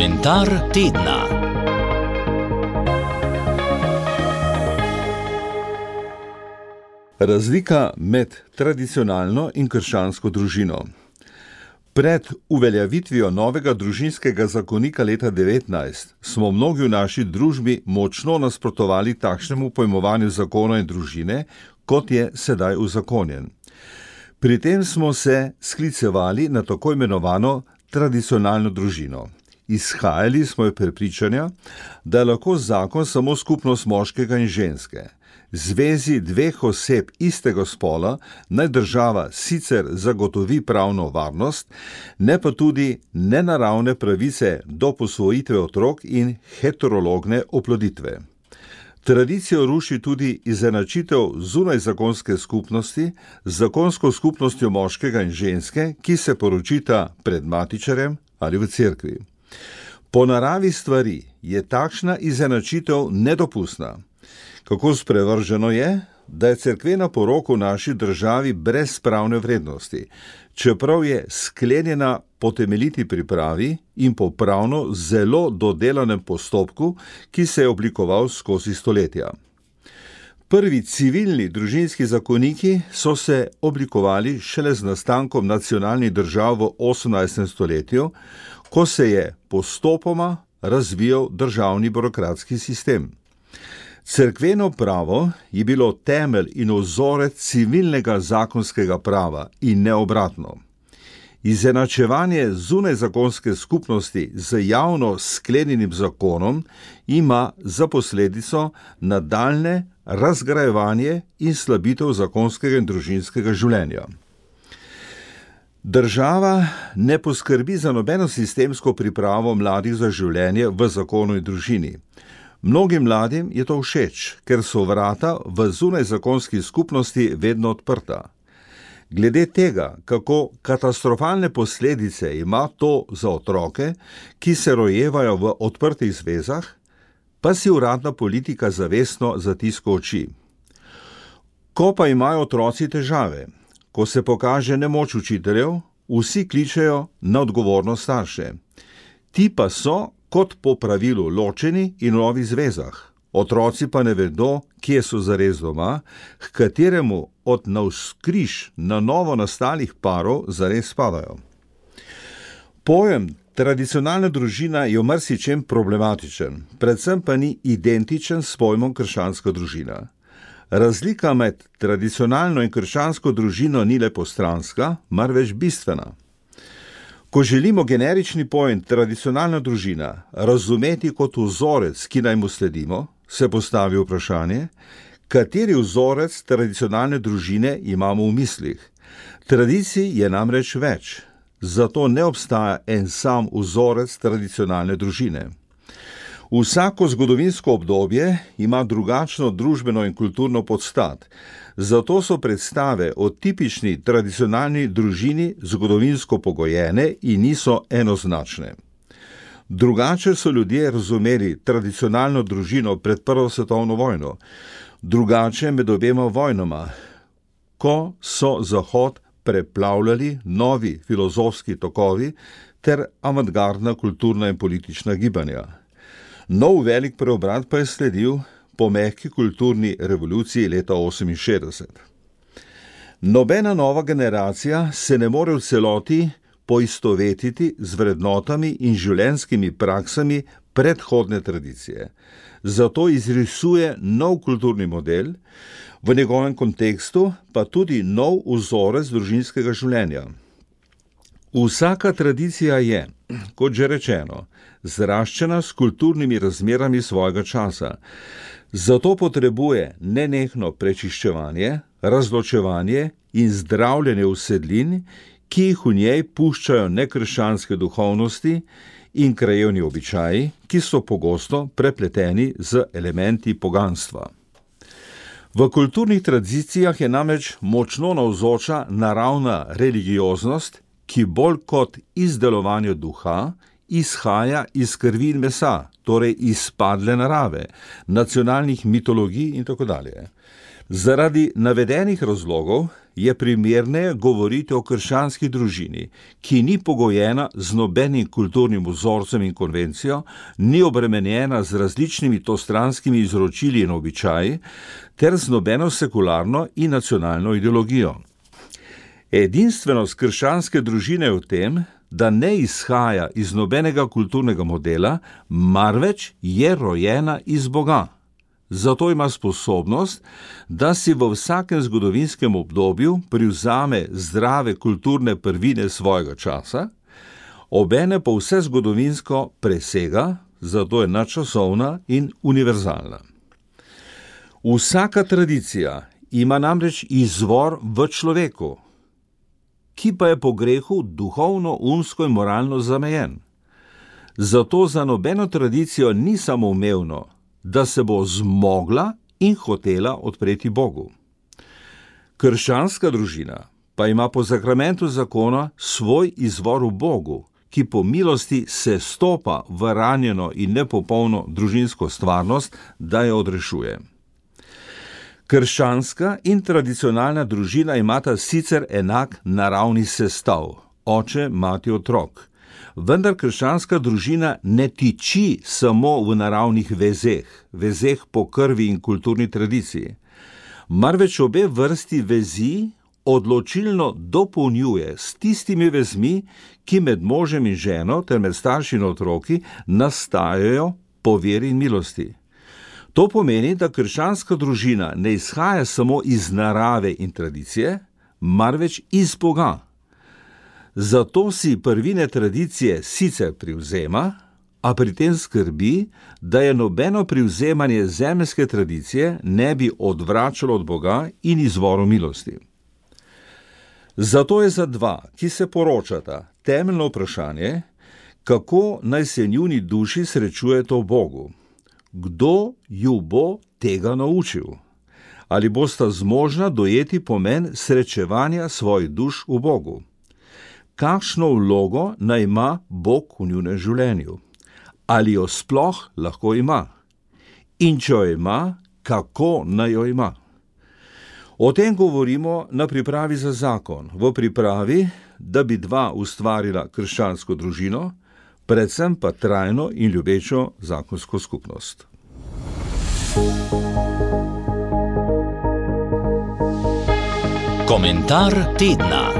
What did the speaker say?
Komentar tedna. Razlika med tradicionalno in krščansko družino. Pred uveljavitvijo novega družinskega zakonika leta 19 smo mnogi v naši družbi močno nasprotovali takšnemu pojmovanju zakona in družine, kot je sedaj uzakonjen. Pri tem smo se sklicevali na tako imenovano tradicionalno družino. Izhajali smo iz prepričanja, da je lahko zakon samo skupnost moškega in ženske. Zvezi dveh oseb istega spola naj država sicer zagotovi pravno varnost, ne pa tudi nenaravne pravice do posvojitve otrok in heterologne oploditve. Tradicijo ruši tudi izenačitev zunaj zakonske skupnosti z zakonsko skupnostjo moškega in ženske, ki se poročita pred matičarjem ali v cerkvi. Po naravi stvari je takšna izenačitev nedopustna. Kako sprevrženo je, da je cerkvena poroka v naši državi brez pravne vrednosti, čeprav je sklenjena po temeljiti pripravi in po pravno zelo dodelanem postopku, ki se je oblikoval skozi stoletja. Prvi civilni družinski zakoniki so se oblikovali šele z nastankom nacionalnih držav v 18. stoletju, ko se je postopoma razvijal državni birokratski sistem. Cerkveno pravo je bilo temelj in vzorec civilnega zakonskega prava in ne obratno. Izenačevanje zunaj zakonske skupnosti z javno sklenjenim zakonom ima za posledico nadaljnje razgrajevanje in slabitev zakonskega in družinskega življenja. Država ne poskrbi za nobeno sistemsko pripravo mladih za življenje v zakonu in družini. Mnogim mladim je to všeč, ker so vrata v zunaj zakonski skupnosti vedno odprta. Glede tega, kako katastrofalne posledice ima to za otroke, ki se rojevajo v odprtih zvezah, pa si uradna politika zavestno zatiska oči. Ko pa imajo otroci težave, ko se pokaže nemoč učiteljev, vsi kličejo na odgovornost starše. Ti pa so, kot po pravilu, ločeni in v novih zvezah. Otroci pa ne vedo, kje so zares doma, h kateremu od navzkriž na novo nastalih parov zares spadajo. Pojem tradicionalna družina je v marsičem problematičen, predvsem pa ni identičen s pojmom krščanska družina. Razlika med tradicionalno in krščansko družino ni le postranska, marveč bistvena. Ko želimo generični pojem tradicionalna družina razumeti kot vzorec, ki naj mu sledimo, se postavi vprašanje, kateri vzorec tradicionalne družine imamo v mislih. Tradicij je namreč več, zato ne obstaja en sam vzorec tradicionalne družine. Vsako zgodovinsko obdobje ima drugačno družbeno in kulturno podstat, zato so predstave o tipični tradicionalni družini zgodovinsko pogojene in niso enoznačne. Drugače so ljudje razumeli tradicionalno družino pred Prvo svetovno vojno, drugače med obema vojnama, ko so Zahod preplavljali novi filozofski tokovi ter avantgardna kulturna in politična gibanja. Nov velik preobrat pa je sledil po mehki kulturni revoluciji leta 1968. Nobena nova generacija se ne more v celoti poistovetiti z vrednotami in življenjskimi praksami predhodne tradicije. Zato izrisuje nov kulturni model, v njegovem kontekstu pa tudi nov vzorec družinskega življenja. Vsaka tradicija je, kot že rečeno, zraščena s kulturnimi razmerami svojega časa. Zato potrebuje nenehno prečiščevanje, razločevanje in zdravljenje vsedlin, ki jih v njej puščajo nekrščanske duhovnosti in krajevni običaji, ki so pogosto prepleteni z elementi poganstva. V kulturnih tradicijah je namreč močno navzoča naravna religioznost, ki bolj kot izdelovanje duha izhaja iz krvi in mesa, torej izpadle narave, nacionalnih mitologij in tako dalje. Zaradi navedenih razlogov je primerneje govoriti o krščanski družini, ki ni pogojena z nobenim kulturnim vzorcem in konvencijo, ni obremenjena z različnimi stranskimi izročili in običaji, ter z nobeno sekularno in nacionalno ideologijo. Edinstvenost krščanske družine je v tem, da ne izhaja iz nobenega kulturnega modela, marveč je rojena iz Boga. Zato ima sposobnost, da si v vsakem zgodovinskem obdobju privzame zdrave kulturne prvine svojega časa, obene pa vse zgodovinsko presega, zato je nadčasovna in univerzalna. Vsaka tradicija ima namreč izvor v človeku, ki pa je po grehu duhovno, umsko in moralno zamejen. Zato za nobeno tradicijo ni samoumevno, da se bo zmogla in hotela odpreti Bogu. Krščanska družina pa ima po sakramentu zakona svoj izvor v Bogu, ki po milosti se stopa v ranjeno in nepopolno družinsko stvarnost, da jo odrešuje. Krščanska in tradicionalna družina imata sicer enak naravni sestav, oče, mati, otrok. Vendar krščanska družina ne tiči samo v naravnih vezeh po krvi in kulturni tradiciji, marveč obe vrsti vezi odločilno dopolnjuje s tistimi vezmi, ki med možem in ženo ter med starši in otroki nastajajo po veri in milosti. To pomeni, da krščanska družina ne izhaja samo iz narave in tradicije, marveč iz Boga. Zato si prvine tradicije sicer privzema, a pri tem skrbi, da je nobeno privzemanje zemeljske tradicije ne bi odvračalo od Boga in izvoru milosti. Zato je za dva, ki se poročata, temeljno vprašanje, kako naj se njuni duši srečujeta v Bogu. Kdo ju bo tega naučil? Ali bosta zmožna dojeti pomen srečevanja svojih duš v Bogu? Kakšno vlogo naj ima Bog v njunem življenju? Ali jo sploh lahko ima? In če jo ima, kako naj jo ima? O tem govorimo na pripravi za zakon, v pripravi, da bi dva ustvarila krščansko družino, predvsem pa trajno in ljubečo zakonsko skupnost. Komentar tedna.